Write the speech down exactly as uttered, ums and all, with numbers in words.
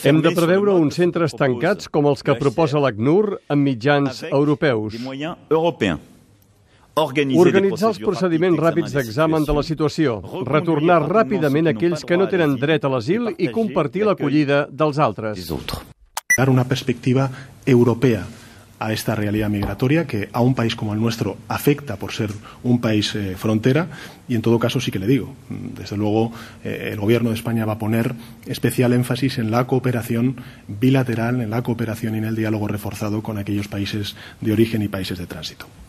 Hem de preveure uns centres tancats com els que proposa l'ACNUR amb mitjans europeus. Organitzar els procediments ràpids d'examen de la situació, retornar ràpidament aquells que no tenen dret a l'asil i compartir l'acollida dels altres. Dar una perspectiva europea a esta realidad migratoria que a un país como el nuestro afecta por ser un país eh, frontera y en todo caso sí que le digo, desde luego eh, el Gobierno de España va a poner especial énfasis en la cooperación bilateral, en la cooperación y en el diálogo reforzado con aquellos países de origen y países de tránsito.